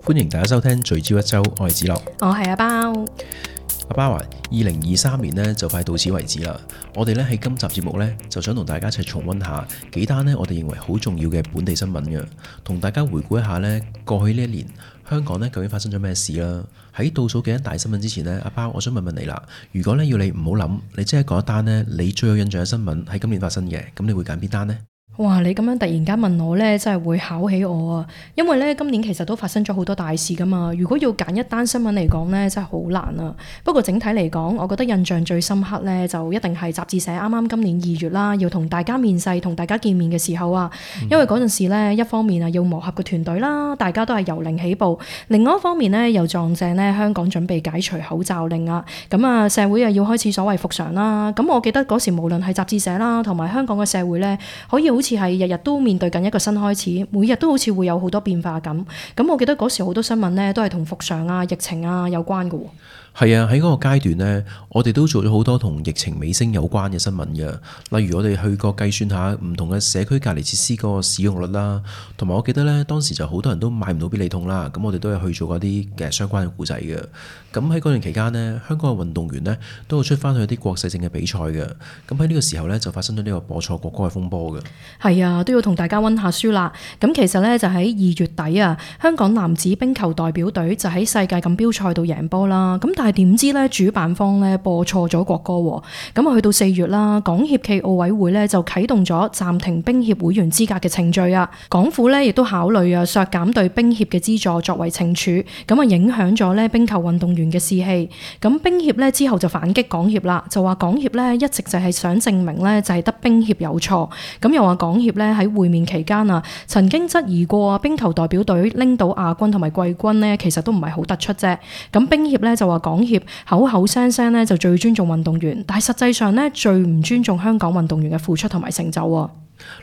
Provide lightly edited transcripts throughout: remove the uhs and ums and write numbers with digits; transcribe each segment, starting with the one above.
歡迎大家收聽聚焦一周，我係子樂，我係阿包。阿包話2023年呢就快到此為止啦。我哋咧喺今集節目呢，就想同大家一齊重溫下幾單呢我哋認為好重要嘅本地新聞嘅，同大家回顧一下呢過去呢一年香港呢究竟發生咗咩事啦。喺倒數幾單大新聞之前呢，阿包我想問問你啦，如果呢要你唔好諗，你即係講一單呢你最有印象嘅新聞喺今年發生嘅，咁你會揀邊單呢？哇！你咁樣突然間問我呢，真係會考起我啊！因為呢，今年其實都發生咗好多大事噶嘛。如果要揀一單新聞嚟講呢，真係好難啊。不過整體嚟講，我覺得印象最深刻呢，就一定係雜誌社啱啱今年2月啦，要同大家面世、同大家見面嘅時候啊。因為嗰陣時呢，一方面啊要磨合個團隊啦，大家都係由零起步；另外一方面呢，又撞正呢香港準備解除口罩令啊。咁啊，社會啊要開始所謂復常啦。咁我記得嗰時無論係雜誌社啦，同埋香港嘅社會呢，可以好似係日日都面對緊一個新開始，每日都好似會有好多變化咁。咁我記得嗰時好多新聞呢都係同復常啊、疫情啊有關嘅喎。係啊，喺嗰個階段呢，我哋都做咗好多同疫情尾聲有關嘅新聞嘅，例如我哋去過計算下唔同嘅社區隔離設施嗰個使用率啦，同埋我記得呢，當時就好多人都買唔到必理痛啦，咁我哋都有去做嗰啲嘅相關嘅故仔嘅。咁喺嗰段期間呢，香港嘅運動員呢都有出翻去一啲國際性嘅比賽嘅。咁喺呢個時候呢，就發生咗呢個播錯國歌嘅風波嘅。係啊，都要同大家溫下書啦。咁其實呢，就喺2月底啊，香港男子冰球代表隊就喺世界錦標賽度贏波啦。咁但係點知呢，主辦方呢播錯咗國歌喎。咁啊去到4月啦，港協暨奧委會呢就啟動咗暫停冰協會員資格嘅程序啊。港府呢亦都考慮啊削減對冰協嘅資助作為懲處，咁啊影響咗呢冰球運動員嘅士氣。咁冰協呢之後就反擊港協啦，就話港協呢一直就係想證明呢就係得冰協有錯。咁又話港協呢喺會面期間啊，曾經質疑過冰球代表隊拎到亞軍同埋季軍呢，其實都唔係好突出啫。咁冰協呢就話港協口口聲聲呢就最尊重運動員，但係實際上呢最唔尊重香港運動員嘅付出同埋成就喎。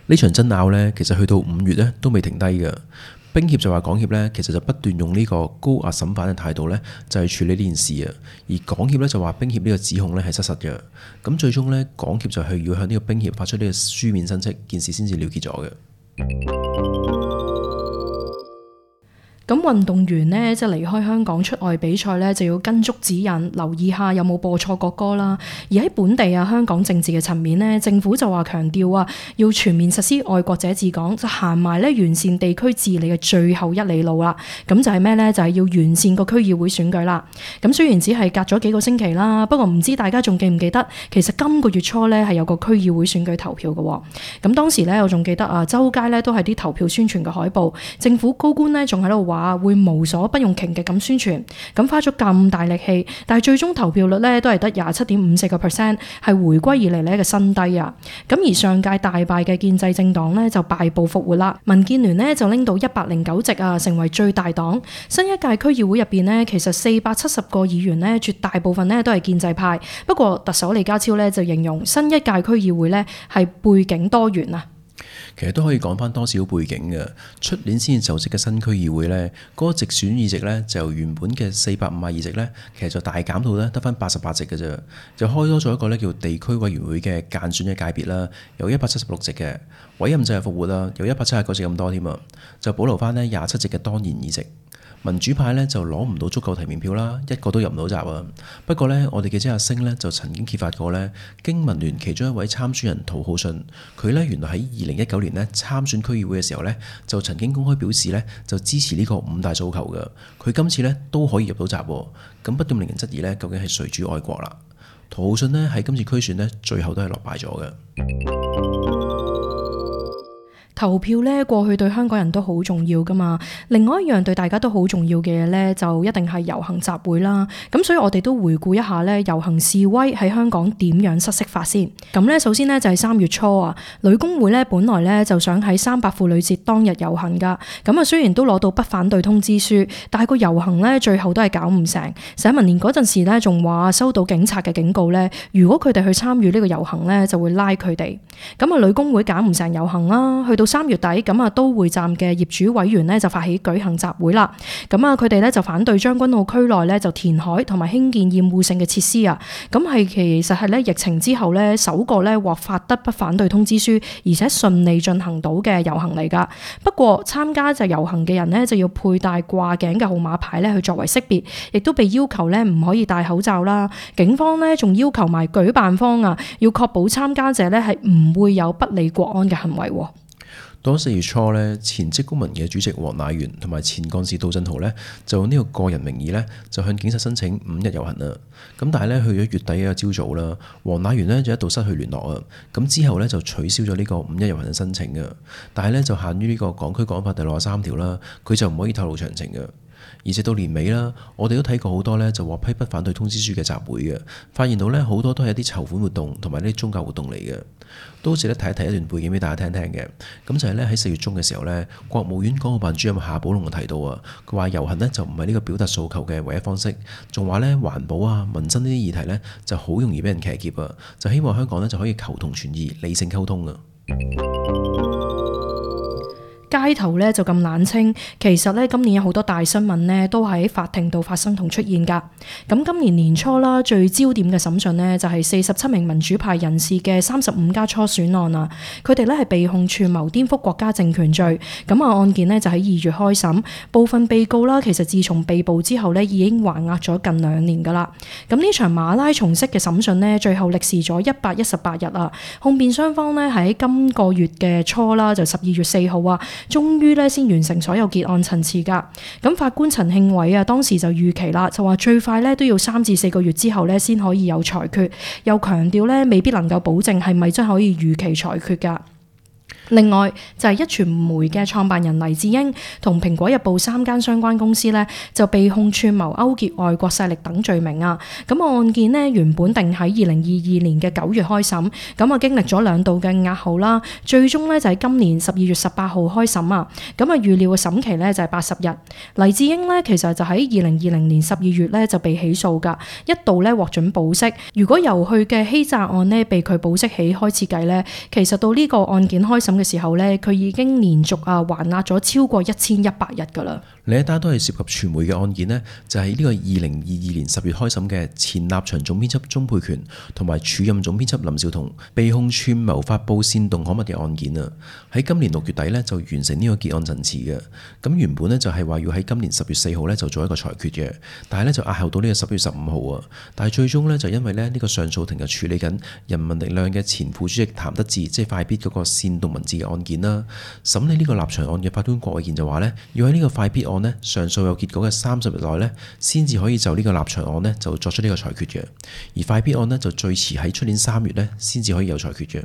呢場爭拗呢，其實去到5月呢都未停低嘅。冰協就話港協呢，其實就不斷用呢個高壓審犯嘅態度呢，就係處理呢件事啊。而港協呢，就話冰協呢個指控呢係失實嘅。咁最終呢，港協就係要向呢個冰協發出呢個書面申斥，件事先至了結咗嘅。咁運動員呢，即係離開香港出外比賽呢，就要跟足指引，留意下有冇播錯國歌啦。而喺本地啊，香港政治嘅層面呢，政府就話強調啊，要全面實施愛國者治港，就行埋呢完善地區治理嘅最後一里路啦。咁就係咩呢？就係要完善個區議會選舉啦。咁雖然只係隔咗幾個星期啦，不過唔知大家仲記唔記得，其實今個月初呢係有個區議會選舉投票嘅。咁當時呢，我仲記得啊，周街呢都係啲投票宣傳嘅海報，政府高官呢仲喺度話會無所不用其極咁宣傳，咁花咗咁大力氣，但係最終投票率呢都係得27.54%，係回歸以嚟呢嘅新低啊！咁而上屆大敗嘅建制政黨呢就敗部復活啦，民建聯呢就拎到109席啊，成為最大黨。新一屆區議會入邊呢，其實470個議員呢，絕大部分呢都係建制派。不過特首李家超呢就形容新一屆區議會呢係背景多元啊。其實都可以講翻多少背景嘅。出年先至就職嘅新區議會呢，嗰個直選議席呢，就由原本嘅452席呢，其實就大減到呢得翻88席嘅啫，就開多咗一個呢叫地區委員會嘅間選嘅界別啦，有176席嘅委任制係復活啦，有179席咁多添啊，就保留翻呢27席嘅當然議席。民主派呢就攞唔到足夠提名票啦，一個都入唔到閘啊。不過呢，我哋記者阿星呢就曾經揭發過呢，經民聯其中一位參選人涂浩信，佢呢原來喺2019年呢參選區議會嘅時候呢，就曾經公開表示呢就支持呢個5大訴求嘅。佢今次呢都可以入到閘，咁不斷令人質疑呢究竟係誰主愛國啦？涂浩信呢喺今次區選呢最後都係落敗咗嘅。投票呢，過去對香港人都好重要噶嘛。另外一樣對大家都好重要嘅嘢呢，就一定係遊行集會啦。咁所以我哋都回顧一下呢，遊行示威喺香港點樣失色法先。咁呢，首先呢，就係3月初啊，女工會呢本來呢就想喺300婦女節當日遊行噶。咁啊雖然都攞到不反對通知書，但係個遊行呢最後都係搞唔成。社民連嗰陣時呢仲話收到警察嘅警告呢，如果佢哋去參與呢個遊行呢，就會拉佢哋。咁啊女工會搞唔成遊行啦，去到到3月底，咁啊都會站嘅業主委員呢就發起舉行集會啦。咁啊佢哋咧就反對將軍澳區內咧就填海同埋興建厭惡性嘅設施啊。咁係其實係咧疫情之後咧首個咧獲發得不反對通知書，而且順利進行到嘅遊行嚟㗎。不過參加就遊行嘅人呢，就要佩戴掛頸嘅號碼牌咧去作為識別，亦都被要求咧唔可以戴口罩啦。警方呢，仲要求埋舉辦方啊，要確保參加者咧係唔會有不理國安嘅行為。當4月初咧，前職工盟嘅主席黃乃元同埋前幹事杜振豪咧，就用呢個個人名義咧，就向警察申請5日遊行啦。咁但係咧，去咗月底嘅朝早啦，黃乃元咧就一度失去聯絡啊。咁之後咧就取消咗呢個5日遊行嘅申請嘅。但係咧就限於呢個港區國安法第63條啦，佢就唔可以透露詳情嘅。而直到年尾啦，我哋都睇過好多咧就獲批不反對通知書嘅集會嘅，發現到咧好多都係一啲籌款活動同埋呢啲宗教活動嚟嘅。都值得提一提一段背景俾大家聽聽嘅。咁就係咧喺4月中嘅時候咧，國務院港澳辦主任夏寶龍就提到啊，佢話遊行呢就唔係呢個表達訴求嘅唯一方式，仲話咧環保啊、民生呢啲議題咧就好容易俾人騎劫啊，就希望香港咧就可以求同存異、理性溝通啊。街頭咧就咁冷清，其實咧今年有好多大新聞咧都喺法庭度發生同出現㗎。咁今年年初啦，最焦點嘅審訊呢，就係47名民主派人士嘅35家初選案啊。佢哋咧係被控串謀顛覆國家政權罪。咁啊案件呢，就喺2月開審，部分被告啦其實自從被捕之後呢，已經還押咗近2年㗎啦。咁呢場馬拉松式嘅審訊呢，最後歷時咗118日啊。控辯雙方呢，喺今個月嘅初啦，就12月4號啊。終於咧先完成所有結案陳詞㗎。咁法官陳慶偉啊，當時就預期啦，就話最快咧都要3至4個月之後咧先可以有裁決，又強調咧未必能夠保證係咪真可以如期裁決㗎。另外就係壹傳媒嘅創辦人黎智英同蘋果日報3間相關公司呢，就被控串謀勾結外國勢力等罪名啊。咁案件呢，原本定喺2022年嘅9月開審，咁啊經歷咗2度嘅押後啦，最終呢，就喺今年12月18號開審啊。咁啊預料嘅審期呢，就係80日。黎智英呢，其實就喺2020年12月呢，就被起訴㗎，一度呢，獲准保釋。如果由佢嘅欺詐案呢，被佢保釋起開始計呢，其實到呢個案件開審嘅時候咧，佢已經連續還押咗超過1100日噶啦。另一單都係涉及傳媒嘅案件呢，就係呢個2022年10月開審嘅前立場總編輯鍾沛權同埋署任總編輯林紹桐被控串謀發布煽動刊物嘅案件啊。喺今年6月底呢，就完成呢個結案陳詞嘅。咁原本呢，就係話要喺今年10月4號呢，就做一個裁決嘅，但係呢，就押後到呢個10月15號啊。但係最終呢，就因為呢個上訴庭就處理緊人民力量嘅前副主席譚得志，即係快必嗰個煽動文字嘅案件啦。審理呢個立場案嘅法官郭偉健就話呢，要喺呢個快必案呢，上訴有結果嘅30日內呢，先至可以就呢個立場案呢，就作出呢個裁決嘅。而快必案呢，就最遲喺出年3月呢，先至可以有裁決嘅。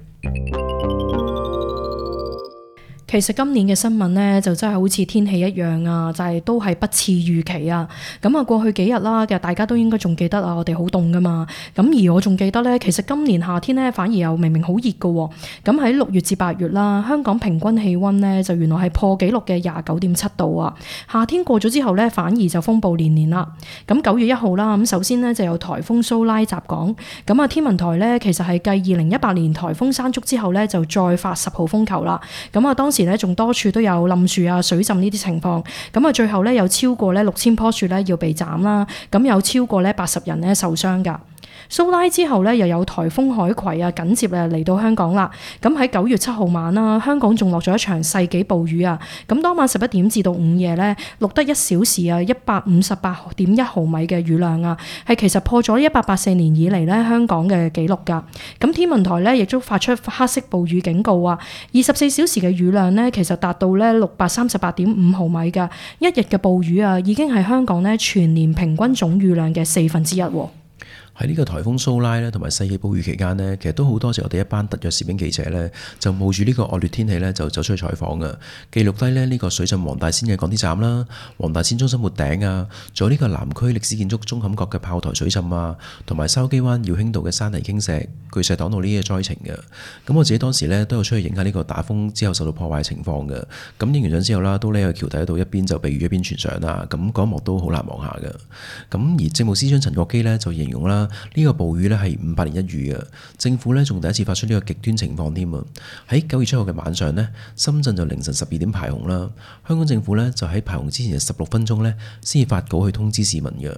其實今年嘅新聞呢，就真係好似天氣一樣啊，就係都係不似預期啊。咁啊，過去幾日啦嘅，大家都應該仲記得啊，我哋好凍噶嘛。咁而我仲記得呢，其實今年夏天呢，反而又明明好熱噶。咁喺6月至8月啦，香港平均氣溫呢，就原來係破紀錄嘅29.7度啊。夏天過咗之後呢，反而就風暴連連啦。咁9月1號啦，咁首先呢，就有颱風蘇拉襲港。咁啊，天文台呢，其實係繼2018年颱風山竹之後呢，就再發10號風球啦。咁啊，當時仲多處都有冧樹啊、水浸呢啲情況，咁啊最後咧有超過咧6000棵樹咧要被斬啦，咁有超過咧80人咧受傷㗎。蘇拉之後咧又有颱風海葵啊緊接嚟到香港啦，咁喺9月7號晚啦，香港仲落咗一場世紀暴雨啊，咁當晚11點至到午夜咧錄得1小時啊158.1毫米嘅雨量啊，係其實破咗1884年以嚟咧香港嘅紀錄㗎。咁天文台咧亦都發出黑色暴雨警告啊，24小時嘅雨量咧其實達到咧638.5毫米㗎，一日嘅暴雨啊已經係香港咧全年平均總雨量嘅1/4喎。喺呢個颱風蘇拉咧，同埋世紀暴雨期間呢，其實都好多謝我哋一班特約攝影記者呢，就冒住呢個惡劣天氣呢，就走出去採訪嘅，記錄低咧呢個水浸黃大仙嘅港鐵站啦、黃大仙中心沒頂啊，仲有呢個南區歷史建築鐘坎角嘅炮台水浸啊，同埋筲箕灣耀興道嘅山泥傾瀉、巨石擋道呢啲災情嘅。咁我自己當時呢，都有出去影下呢個打風之後受到破壞嘅情況嘅。咁影完相之後啦，都匿喺橋底度一邊就避雨一邊傳相啦。咁嗰一幕都好難忘下嘅。咁而政務司長陳國基呢，就形容啦。呢個暴雨呢係500年一遇嘅。政府呢仲第一次發出呢個極端情況添啊！喺9月7號嘅晚上呢，深圳就凌晨12點排洪啦。香港政府呢就喺排洪之前嘅16分鐘呢先至發稿去通知市民嘅。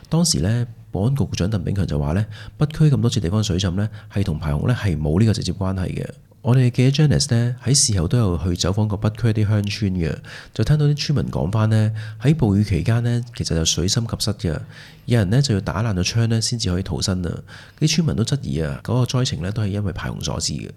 當時呢，保安局局長鄧炳強就話呢，北區咁多處地方水浸呢係同排洪呢係冇呢個直接關係嘅。我哋嘅記者 Janice 呢喺事後都有去走訪過北區一啲鄉村嘅，就聽到啲村民講翻呢，喺暴雨期間呢，其實就水深及膝嘅，有人呢就要打爛咗窗呢先至可以逃生啊！啲村民都質疑啊，嗰個災情呢都係因為排洪所致嘅。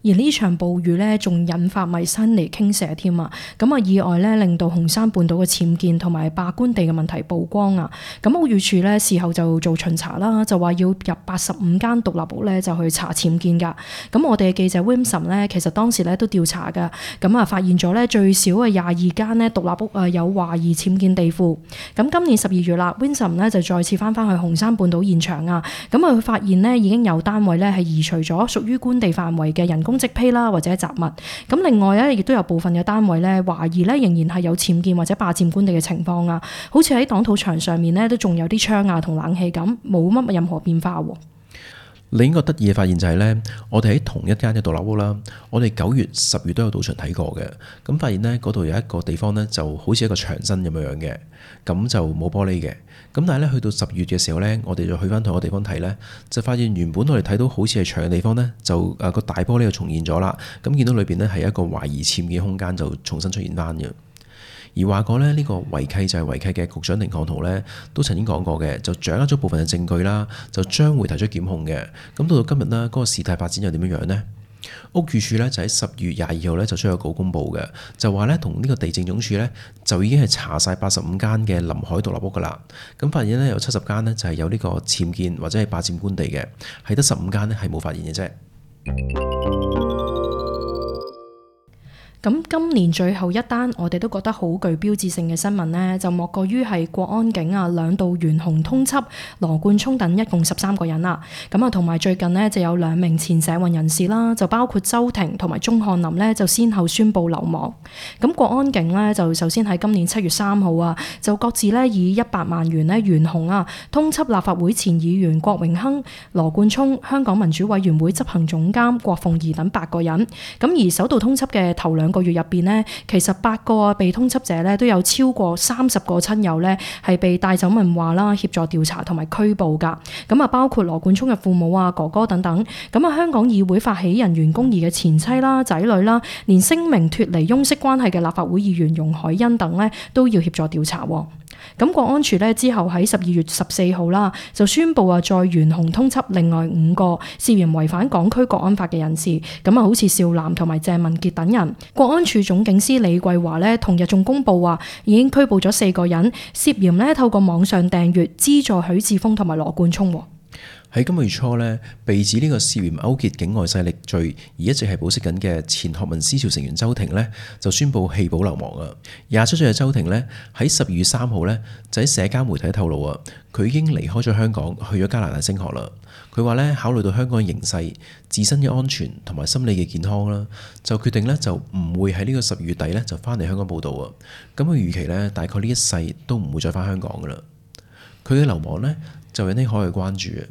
而呢場暴雨呢，仲引發埋山泥傾瀉添啊！咁啊，意外呢令到紅山半島嘅僭建同埋霸官地嘅問題曝光啊！咁屋宇署呢，事後就做巡查啦，就話要入85間獨立屋呢，就去查僭建㗎。咁我哋嘅記者 Wilson 呢，其實當時呢都調查㗎，咁啊發現咗呢最少嘅22間呢獨立屋啊有懷疑僭建地庫。咁今年12月啦，Wilson 呢就再次翻去紅山半島現場啊！咁啊佢發現呢已經有單位呢係移除咗屬於官地範圍嘅人工積披啦，或者雜物。咁另外咧，亦都有部分嘅單位咧，懷疑咧仍然係有僭建或者霸佔官地嘅情況啊。好似喺擋土牆上面咧，都仲有啲窗啊同冷氣咁，冇乜任何變化。另一個得意嘅發現就係呢，我哋喺同一間嘅獨立屋啦，我哋9月、10月都有到場睇過嘅。咁發現呢，嗰度有一個地方呢，就好似一個牆身咁樣嘅，咁就冇玻璃嘅。咁但係咧，去到10月嘅時候呢，我哋就去翻同一個地方睇呢，就發現原本我哋睇到好似係牆嘅地方呢，就個大玻璃就重現咗啦。咁見到裏邊呢，係一個懷疑僭建空間，就重新出現翻嘅。而話過呢，呢個違契就係違契嘅局長寧漢豪呢，都曾經講過嘅，就掌握咗部分嘅證據啦，就將會提出檢控嘅。咁到今日呢，嗰個事態發展又點樣樣呢？屋宇署呢，就喺10月22號呢，就出咗稿公佈嘅，就話呢，同呢個地政總署呢，就已經係查晒85間嘅臨海獨立屋噶啦。咁發現呢，有70間呢，就係有呢個僭建或者係霸佔官地嘅，係得15間呢，係冇發現嘅啫。咁今年最後一單我哋都覺得好具標誌性嘅新聞呢，就莫過於係國安警啊兩度懸紅通緝羅冠聰等一共13個人啦。咁啊，同埋最近呢，就有2名前社運人士啦，就包括周庭同埋鐘漢林呢，就先後宣布流亡。咁國安警呢，就首先喺今年7月3號啊，就各自呢以100萬元呢懸紅啊，通緝立法會前議員郭榮鏗、羅冠聰、香港民主委員會執行總監郭鳳儀等8個人。咁而首度通緝嘅頭2個月入邊呢，其實8個被通緝者呢都有超過30個親友呢係被帶走問話啦，協助調查同埋拘捕噶。咁啊，包括羅冠聰嘅父母啊、哥哥等等。咁啊，香港議會發起人袁弓夷嘅前妻啦、仔女啦，連聲明脫離翁媳關係嘅立法會議員容海恩等呢，都要協助調查。咁國安處呢之後喺12月14號啦，就宣布再懸紅通緝另外5個涉嫌違反港區國安法嘅人士。咁啊，好似邵嵐同埋鄭文傑等人。國安處總警司李桂華呢，同日仲公布話已經拘捕咗4個人，涉嫌呢透過網上訂閱資助許智峰同埋羅冠聰。喺今個月初呢，被指呢個涉嫌勾結境外勢力罪而一直係保釋緊嘅前學民思潮成員周庭呢，就宣布棄保流亡啊。27歲嘅周庭呢，喺12月3號呢，就喺社交媒體透露啊，佢已經離開咗香港，去咗加拿大升學啦。佢話呢，考慮到香港嘅形勢、自身嘅安全同埋心理嘅健康啦，就決定呢，就唔會喺呢個12月底呢，就翻嚟香港報到啊。咁佢預期呢，大概呢一世都唔會再翻香港噶啦。佢嘅流亡呢，就引起海外關注啊。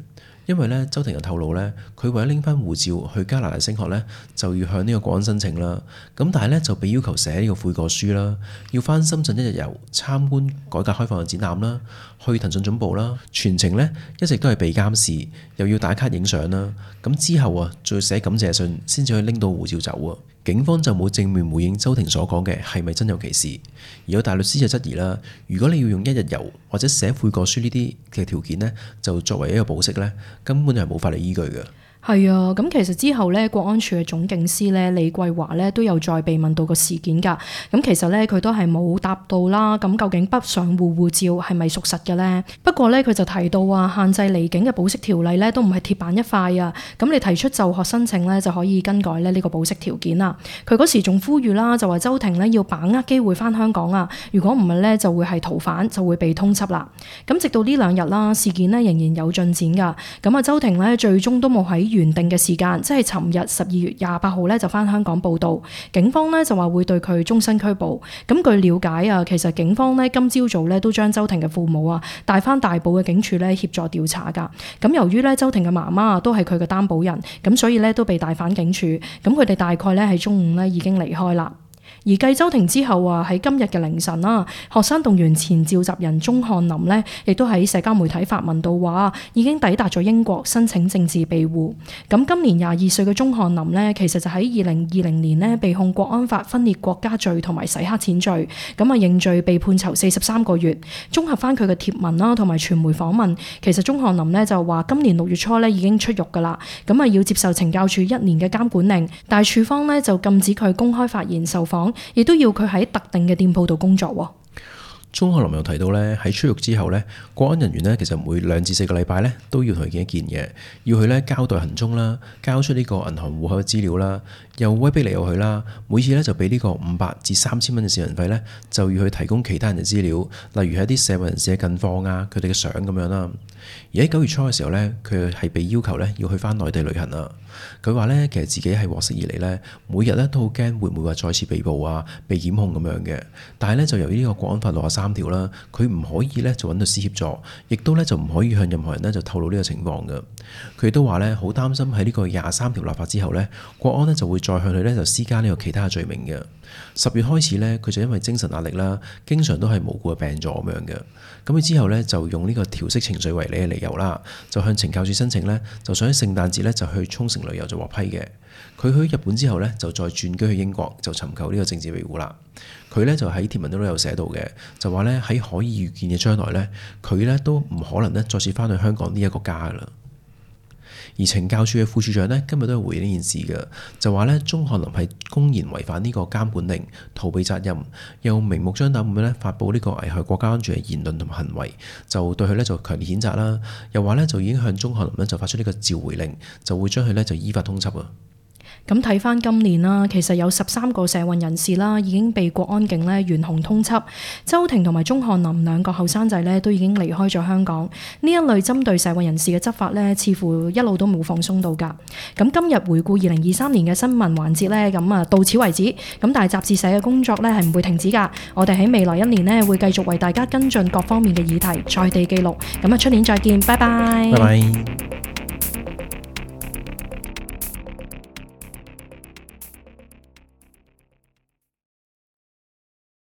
因為咧，周庭又透露咧，佢為咗拎翻護照去加拿大升學咧，就要向呢個國安申請啦。咁但係咧，就被要求寫呢個悔過書啦，要翻深圳1日遊參觀改革開放嘅展覽啦，去騰訊總部啦，全程咧一直都係被監視，又要打卡影相啦。咁之後啊，再要寫感謝信先至可以拎到護照走啊。警方就冇正面回應周庭所講嘅係咪真有其事，而有大律師就質疑啦，如果你要用1日遊或者寫悔過書呢啲嘅條件呢，就作為一個保釋呢，根本就係冇法律依據嘅。係啊，咁其實之後咧，國安處嘅總警司咧李桂華咧都有再被問到個事件㗎。咁其實咧佢都係冇答到啦。咁究竟北上戶護照係咪屬實嘅咧？不過咧佢就提到話限制離境嘅保釋條例咧都唔係鐵板一塊啊。咁你提出就學申請咧就可以更改咧呢個保釋條件啦。佢嗰時仲呼籲啦，就話周庭咧要把握機會返香港啊。如果唔係咧就會係逃犯，就會被通緝啦。咁直到呢2日啦，事件咧仍然有進展㗎。咁啊周庭咧最終都冇喺原定嘅時間，即係尋日12月28號咧就翻香港報到。警方咧就話會對佢終身拘捕。咁據了解啊，其實警方咧今朝早咧都將周庭嘅父母啊帶翻大埔嘅警署咧協助調查㗎。咁由於咧周庭嘅媽媽都係佢嘅擔保人，咁所以咧都被帶返警署。咁佢哋大概咧喺中午咧已經離開啦。而繼周庭之後啊，喺今日嘅凌晨啦，學生動員前召集人鐘漢林呢，亦都喺社交媒體發文到話，已經抵達咗英國申請政治庇護。咁今年22歲嘅鐘漢林呢，其實就喺2020年呢被控國安法分裂國家罪同埋洗黑錢罪，咁啊認罪被判囚43個月。綜合翻佢嘅貼文啦，同埋傳媒訪問，其實鐘漢林呢就話今年6月初呢已經出獄㗎啦，咁啊要接受懲教署1年嘅監管令，但係處方呢就禁止佢公開發言受訪。亦都要佢喺特定嘅店鋪度工作喎。鐘漢林又提到咧，喺出獄之後咧，國安人員咧其實每2至4個禮拜咧都要同佢見一見嘅，要佢咧交代行蹤啦，交出呢個銀行戶口嘅資料啦，又威逼利誘佢啦，每次咧就俾呢個500至3000蚊嘅市民費咧，就要去提供其他人嘅資料，例如係一啲社會人士嘅近況啊，佢哋嘅相咁樣啦。而喺9月初嘅時候咧，佢係被要求咧要去翻內地旅行啊。佢話咧，其實自己係獲釋以嚟咧，每日咧都好驚會唔會話再次被捕啊、被檢控咁樣嘅。但係咧就由於呢個國安法63條啦，佢唔可以咧就揾律師協助，亦都咧就唔可以向任何人咧就透露呢個情況嘅。佢亦都話咧好擔心喺呢個23條立法之後咧，國安咧就會再向佢咧就施加呢個其他嘅罪名嘅。10月開始咧，佢就因為精神壓力啦，經常都係無故嘅病咗咁樣嘅。咁佢之後咧就用呢個調適情緒為理由啦，就向懲教署申請咧，就想喺聖誕節咧就去沖繩旅遊就獲批嘅。佢去日本之後咧，就再轉居去英國，就尋求呢個政治庇護啦。佢咧就喺貼文都有寫到嘅，就話咧喺可以預見嘅將來咧，佢咧都唔可能咧再次翻去香港呢一個家噶啦。而懲教署嘅副署長呢，今日都係回應呢件事嘅，就話呢，鐘漢林係公然違反呢個監管令，逃避責任，又明目張膽咁樣呢發佈呢個危害國家安全嘅言論同埋行為，就對佢呢就強烈譴責啦。又話呢，就已經向鐘漢林呢就發出呢個召回令，就會將佢呢就依法通緝啊。咁睇翻今年啦，其實有13個社運人士啦，已經被國安警咧懸紅通緝。周庭同埋鐘漢林兩個後生仔咧都已經離開咗香港。呢一類針對社運人士嘅執法咧，似乎一路都冇放鬆到㗎。咁今日回顧2023年嘅新聞環節咧，咁啊到此為止。咁但係雜誌社嘅工作咧係唔會停止㗎。我哋喺未來1年呢，會繼續為大家跟進各方面嘅議題，在地記錄。咁啊出年再見，拜拜。拜拜。